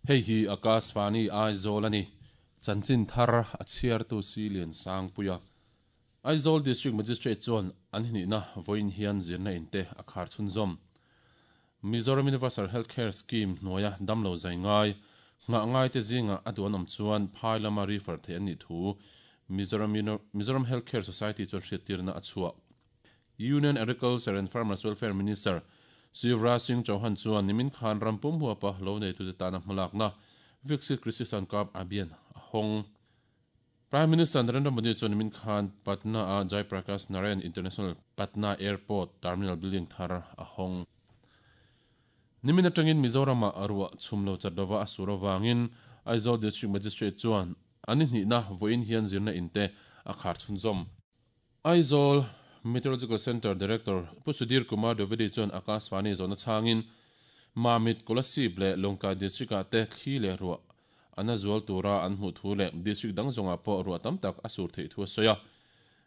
Hei hi Akashvani Aizawl a ni. Chanchin thar a chhiartu Silian Sangpuia. Aizawl District Magistrate chuan an hnihna vawiin hian zirna in te a khar chhunzawm. Mizoram Universal Health Care Scheme hnuaia damlo zai ngai, nghah ngaite zingah a duh an awm chuan phai lama refer theih an nih thu Mizoram Mizoram Health Care Society chuan hriattirna a chhuah. Union Agriculture and Farmers Welfare Minister Shivraj Singh Chauhan chuan nimin khan ram pum huapa lo neitute tana hmalakna Viksit Krishi Sankalp Abhiyan a hawng. Prime Minister Narendra Modi chuan nimin khan Patna-a Jai Prakash Narayan International Patna Airport Terminal Building thar a hawng. Nimin atangin Mizoram-ah a ruah chhum lo chat lova a sur avangin Aizawl District Magistrate chuan a ni hnihna vawiin hian zirna in te a khar chhunzawm. Aizawl Meteorological Centre Director Pu Sudhir Kumar Dwivedi chuan Akashvani zawhna chhangin Mamit, Kolasib leh Lawngtlai District-ah te thli leh ruah a na zual tura an hmuh thu leh district dang zawngah pawh ruah tam tak a sur theih thu a sawi a.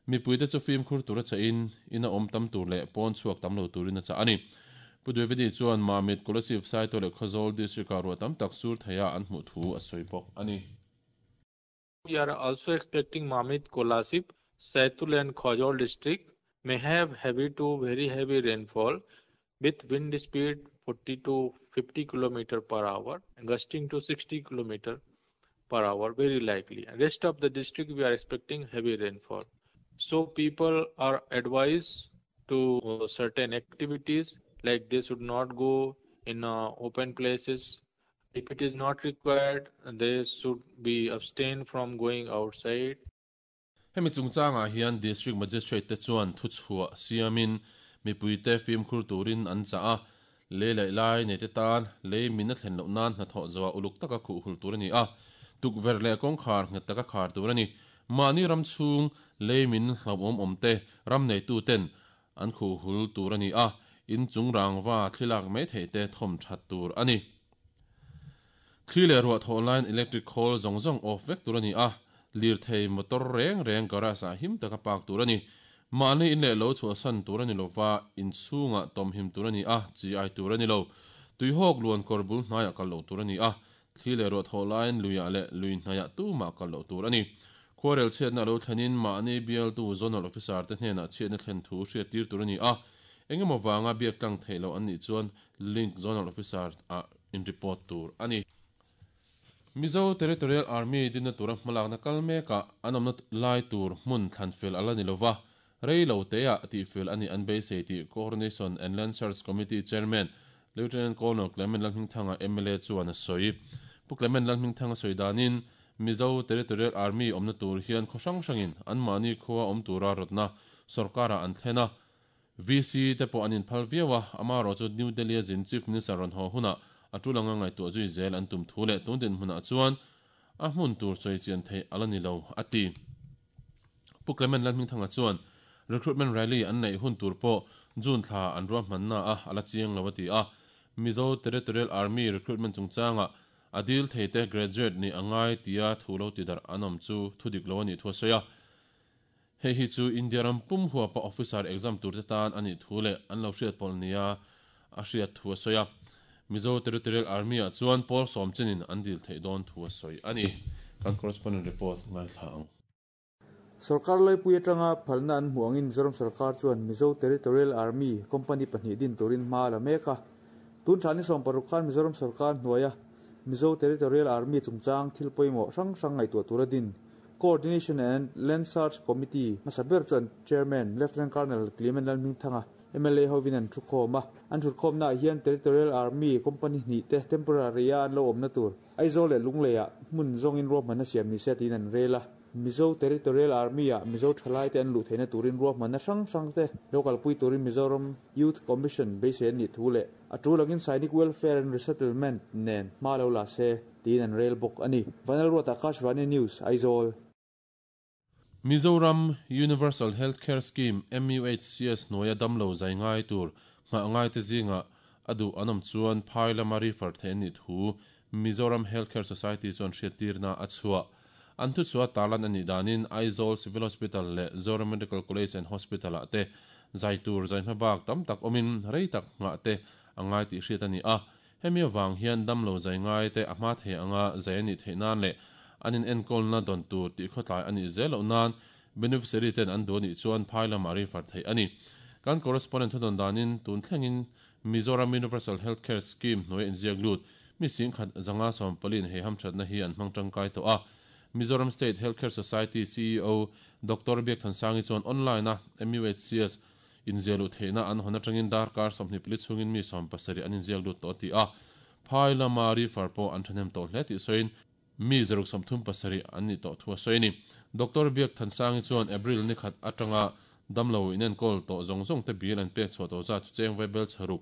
Mipuite chu fimkhur tura chahin ina awm tam tur leh pawn chhuak tam lo turin a chah a ni. Pu Dwivedi chuan Mamit, Kolasib, Saitual leh Khawzawl district-ah ruah tam tak sur theiha an hmuh thu a sawi bawk a ni. We are also expecting Mamit, Kolasib, Saitul and Khawzawl district may have heavy to very heavy rainfall with wind speed 40 to 50 km per hour and gusting to 60 km per hour very likely. Rest of the district we are expecting heavy rainfall. So people are advised to certain activities like they should not go in open places. If it is not required, they should be abstained from going outside. Hemi chungchangah hian District Magistrate te chuan thuchhuah siamin mipuite fimkhur turin an chah a, lei laih lai nei te tan lei min a thlen loh nan hnathawh zawhah uluk taka khuh hul tur a ni a, tukverh leh kawngkhar nghet taka khar tur a ni. Mahni ram chhung lei min hlauhawm awm te ram neitu ten an khuh hul tur a ni a, in chung rangva thli lak mai theih te thawm that tur a ni. Thli leh ruah thawh laiin electric khawl zawng zawng off vek tur a ni a, lirthei motor reng reng garage ah him taka park tur a ni. Mahni in leh lo chhuahsan tur a ni lova, in chhungah tawmhim tur a ni a, chi ai tur a ni lo. Tuihawk luan kawr bul hnaiah kal loh tur a ni a, thli leh ruah thawh laiin luiah leh lui hnaiah tumah kal loh tur a ni. Khuarel chhiatna lo thlenin mahni bialtu Zonal Officer te hnenah chhiatna thlen thu hriattir tur a ni a, engemaw vanga biak tlang theih loh an nih chuan Link Zonal Officer ah in report tur a ni. Mizo Territorial Army dinna tura hmalakna kal mekah an awmna lai tur hmun thlan fel a la ni lova, rei lo teah tihfel a nih an beisei tih Coordination and Land Search Committee Chairman Lieutenant Colonel Clement Lalhmingthanga mla chuan a sawi. Pu Clement Lalhmingthanga sawi danin Mizo Territorial Army awmna tur hian khaw hrang hrangin anmahni khua awm tura rawtna sorkarah an thlen a, VC te pawh an inphal viau a, amaherawh chu New Delhi-a zin Chief Minister rawn haw hunah a tul anga ngaihtuah zui zel an tum thu leh tun dinhmunah chuan a hmun tur sawi chian theih a la ni lo, a ti. Pu Clement Lalhmingthanga chuan recruitment rally an neih hun tur pawh June thla an ruahmanna a a la chiang lo a ti a, Mizo Territorial Army recruitment chungchangah a dil theite graduate nih a ngai tia thu lo tidarh an awm chu thudik lo a nih thu a sawi a. Hei hi chu India ram pum huapa officer exam turte tan a nih thu leh an lo hriat pawlh nia a hriat thu a sawi a. Mizo Territorial Army-ah chuan pawl sawm chenin an dil theih dawn thu a sawi a ni. Kan correspondent report ngaithla ang. Sorkar laipui atanga phalna an hmuh angin Mizoram sorkar chuan Mizo Territorial Army company pahnih din turin hma a la mek a. Tun thla ni 16 khan Mizoram sorkar hnuaia Mizo Territorial Army chungchang thil pawimawh hrang hrang ngaihtuah tura din Coordination and Land Search Committee hmasa ber chuan Chairman Lieutenant Colonel Clement Lalhmingthanga, mla hovin an thukhawm a. An thutkhawmnaah hian Territorial Army Company hnih te temporary a an lo awmna tur Aizawl leh Lungleiah hmun zawngin ruahmanna siam ni se tiin an rel a. Mizo Territorial Army-ah Mizo thalaite an luh theihna turin ruahmanna hrang hrang te lo kalpui turin Mizoram Youth Commission beisei an nih thu leh a tul angin Sainik Welfare and Resettlement nen hma lo la se tiin an rel bawk a ni. Vanlalruata Akashvani News, Aizawl. Mizoram Universal Health Care Scheme, MUHCS, hnuaia damlo zai ngai tur nghah ngaite zingah a duh an awm chuan phai lama refer theih an nih thu Mizoram Health Care Society chuan hriattirna a chhuah. An thuchhuah tarlan a nih danin Aizawl Civil Hospital leh Zoram Medical College and Hospital-ah te zai tur zai hmabak tam tak awmin rei tak nghah te a ngai tih hriat a ni a. Hemi avang hian damlo zai ngai te a hma thei anga zai a nih theih nan leh an in enkawlna dawn tur tih khawtlai a nih zel loh nan beneficiary ten an duh a nih chuan phai lamah refer theih a ni. Kan correspondent thudawn danin tun thlengin Mizoram Universal Health Care Scheme hnuaia inziak lut mi 10,000 514 in hei hamthatna hi an hmang tangkai tawh a. Mizoram State Health Care Society ceo Doctor Biakthansangi chuan online-a MUHCS inziah luh theihna an hawn atangin darkar 24 chhungin mi 70 an inziak lut tawh a ti a. Phai lama refer pawh an thahnem tawh hle tih sawiin mi 137 an nih tawh thu a sawi a ni. Doctor Biakthansangi chuan April ni khat atanga damlo inenkawl tawh zawng zawng te bill an pek chhuah tawh zat chu cheng vaibel chharuk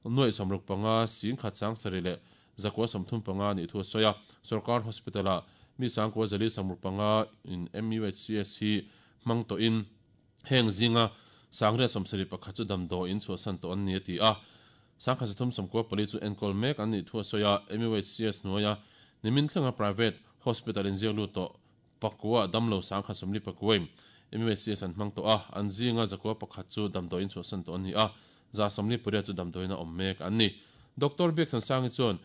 nuaih 65 10,000 7 leh 935 nih thu a sawi a. Sorkar Hospital-ah mi 9,465 in MUHCS hi hmang tawhin heng zinga 871 chu damdawiin chhuahsan tawh an ni a ti a. 1394 chu enkawl mek an nih thu a sawi a. MUHCS hnuaia nimin thlenga private hospital inziak lut tawh pakua damlo 1049 MUHCS an hmang tawh a, an zinga 101 chu damdawiin chhuahsan tawh an ni a, 148 chu damdawiin a awm mek an ni. Doctor Biakthansangi chuan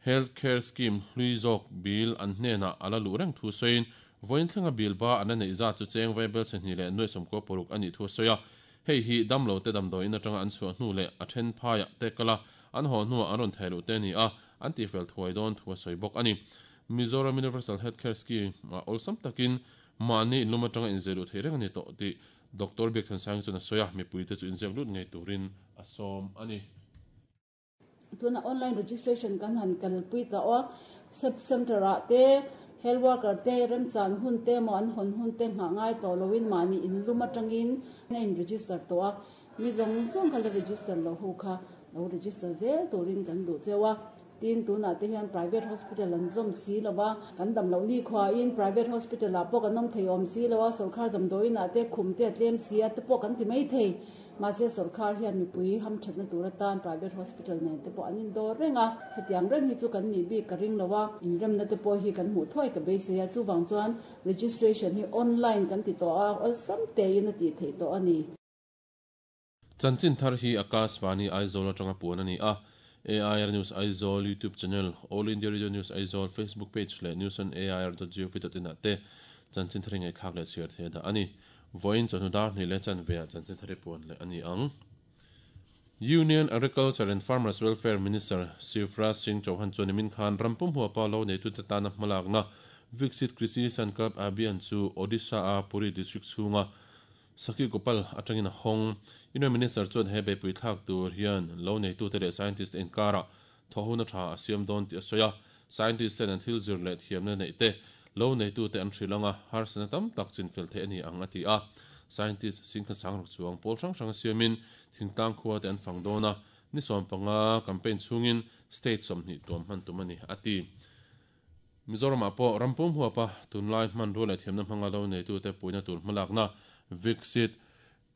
Health Care Scheme hlui zawk bill an hnenah a la luh reng thu sawiin vawiin thlenga bill ba an la neih zat chu cheng vaibel chhe hnih leh nuaih 96 a nih thu a sawi a. Hei hi damlo te damdawiin atanga an chhuah hnu leh a then phaiah te kala an haw hnuah an rawn theh luh te a ni a, an tifel thuai dawn thu a sawi bawk a ni. Mizoram Universal Health Care Scheme ah awlsam takin mahni inlum atanga inziah luh theih reng a ni tawh tih Doctor Biakthansangi chuan a sawi a, mipuite chu inziak lut ngei turin a sawm a ni. Tuna online registration kan han kalpui ta aw. Sub center ah te health worker te remchan hun te emaw an hawn hun te nghah ngai tawh loin mahni inlum atangin a in register tawh a. Mi zawng zawng kha la register lo ho kha lo register zel turin kan duh cheu a. Tin tunah te hian private hospital an zawm si lo va, kan dam loh ni khuain private hospital ah pawh kan awm thei awm si lo a, sorkar damdawiin ah te khum te a tlem si a te pawh kan ti mai thei. Mahse sorkar hian mipui hamthatna tur atan private hospital nen te pawh an indawr reng a, hetiang reng hi chu kan nih bik ka ring lo a, inremna te pawh hi kan hmuh thuai ka beisei a, chuvang chuan registration hi online kan ti tawh a, awlsam tein a tih theih tawh a ni. Chanchin thar hi Akashvani Aizawl atanga puan a ni a, AIR News Aizawl YouTube channel, All India Radio News Aizawl Facebook page leh newsonair.gov.in ah te chanchin thar hi ngaihthlak leh chhiar theih a dah a ni. Vawiin chawhnu dar hnih leh chanve ah chanchin thar i puan leh a ni ang. Union Agriculture and Farmers Welfare Minister Shivraj Singh Chauhan chuan nimin khan ram pum huapa lo neitute tana hmalakna Viksit Krishi Sankalp Abhiyan chu Odisha-a Puri district chhunga Sakhi Gopal atangin a hawng. Union Minister chuan he beihpui thlak tur hian lo neitute leh scientist te inkarah thawhhuna tha a siam dawn tih a sawi a. Scientist ten an thil zir leh thiamna neih te lo neitute an hrilh anga harsatna tam tak chinfel theih a ni ang a ti a. Scientist Singkhansang ruk chuang pawl hrang hrang siamin thingtlang khua te an fang dawn a, ni 15 campaign chhungin state 20 tuam hman tum a ni a ti. Mizoramah pawh ram pum huapa tunlai hmanrua leh thiamna hmanga lo neitute puihna tur hmalakna Viksit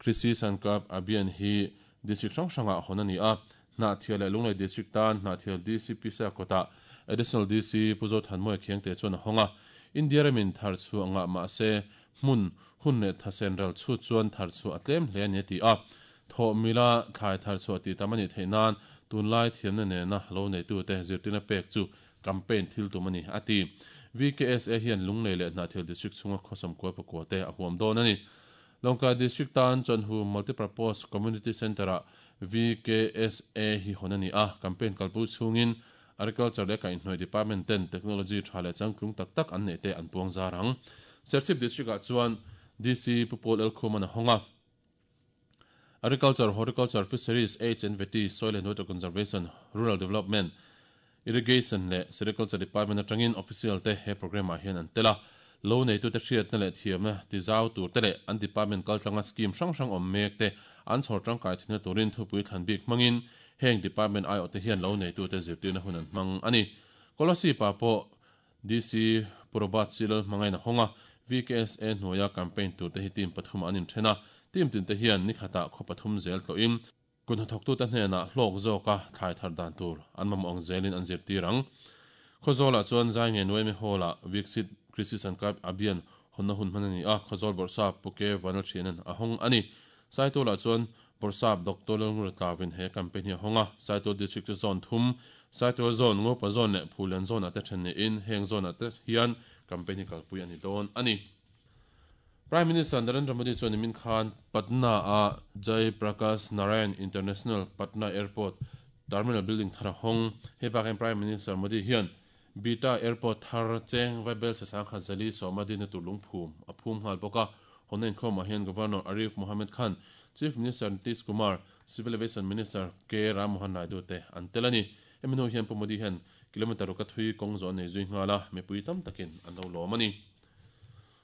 Krishi Sankalp Abhiyan hi district hrang hrangah hawn a ni a. Hnahthial leh Lunglei district tan Hnahthial DC Pisa kawtah Additional DC Pu Zothanmawia Khiangte chuan a hawng a. India ramin thar chhuah ngah mahse hmun, hun leh thasen ral chhut chuan thar chhuah a tlem hle a ni a ti a. Thawh mila thlai thar chhuah tih tam a nih theih nan tunlai thiamna nena lo neitute zirtirna pek chu campaign thil tum a ni, a ti. VKSA hian Lunglei leh Hnahthial District chhunga khawsawm kual pakua te a huam dawn a ni. Lawngtlai District tan Chawnhu Multipurpose Community Centre-ah VKSA hi hawn a ni a, campaign kalpui chhungin Agriculture leh Kaihhnawih Department ten technology tha leh changtlung tak tak an neih te an puang zar ang. Serchhip District-ah chuan DC Pu Paul Elkhuman a hawng a. Agriculture, Horticulture, Fisheries, Aids and Vety, Soil and Water Conservation, Rural Development, Irrigation leh Sericulture Department atangin official te he programme ah hian an tel a. Lo neitute hriatna leh thiamna tizau tur te leh an department kaltlanga scheme hrang hrang awm mek te an chhawr tangkai thinna turin thupui thlan bik hmangin heng department aiawh te hian lo neitute zirtirna hun an hmang a ni. Kolasib ah pawh DC Pu Robert Silal hmangain a hawng a, VKSA hnuaia campaign tur te hi team pathum ah an inthen a, team tin te hian ni khatah khaw pathum zel tlawhin Kut hnathawktute hnenah hlawk zawka thlai thar dan tur an mamawh ang zelin an zirtir ang. Khawzawlah chuan zai nge Nuaimi Hall-ah Viksit Krishi Sankalp Abhiyan hawnna hun hman a ni a, Khawzawl Bawrhsap Pu Ke Vanlalthianan a hawng a ni. Saitualah chuan Bawrhsap Doctor Lalngura Tlawin he campaign hi a hawng a, Saitual District chu zone thum, Saitual Zone, Ngopa Zone leh Phulian Zone ah te then niin heng zone ah te hian campaign hi kalpui a ni dawn a ni. Prime Minister Narendra Modi chuan nimin khan Patna a Jai Prakash Narayan International Patna Airport Terminal Building thar a hawng. Hei bakah hian Prime Minister Modi hian Bihta Airport thar cheng Vaibel Sasangkhat Zali Sawma dinna tur lungphum a phum nghal bawk a. Hawnna inkhawmah hian Governor Arif Mohammed Khan, Chief Minister Nitish Kumar, Civil Aviation Minister K Ram Mohan Naidu te an tel a ni. Hemi hnu hian Pu Modi hian kilometre ruk a thui kawng zawh a nei zui nghal a, mipui tam takin an lo lawm a ni.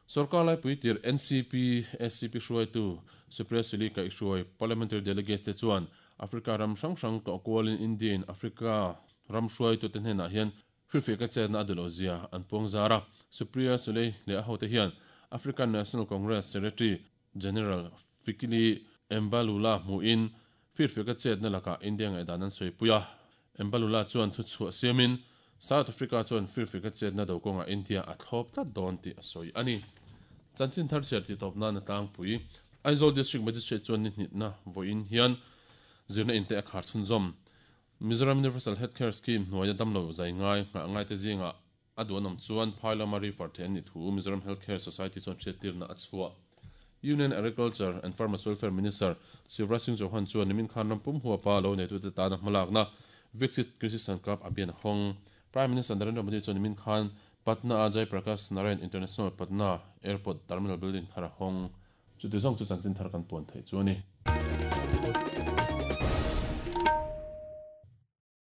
Sorkar laipui tir NCP, SCP hruaitu Supriya Sule kaihhruai Parliamentary Delegates te chuan Africa ram hrang hrang tlawh kualin India-in Africa ram hruaitute hnenah hian hrilhfiah ka chetna a duh loh zia an puang zar a. Supriya Sule leh a hote hian African National Congress Secretary General Fikile Mbalula hmuhin firfiah ka chetna lakah India ngaihdan an sawipui a. Mbalula chuan thuchhuah siamin South Africa chuan firfiah ka chetna do kawngah India a thlawp tlat dawn tih a sawi a ni. Chanchin thar chhiar tih tawp nan a tlangpui. Aizawl District Magistrate chuan ni hnihna vawiin hian zirna inte a khar chhunzawm. Mizoram Universal Health Care Scheme hnuaia damlo zai ngai nghah ngaite zingah a duh an awm chuan phai lama refer theih an nih thu Mizoram Health Care Society chuan hriattirna a chhuah. Union Agriculture and Farmers Welfare Minister Shivraj Singh Chauhan chuan nimin khan ram pum huapa lo neitute tana hmalakna Viksit Krishi Sankalp Abhiyan a hawng. Prime Minister Narendra Modi chuan nimin khan Patna-a Jai Prakash Narayan International Patna Airport Terminal Building thar a hawng. Chuti zawng chu chanchin thar kan puan theih chu a ni.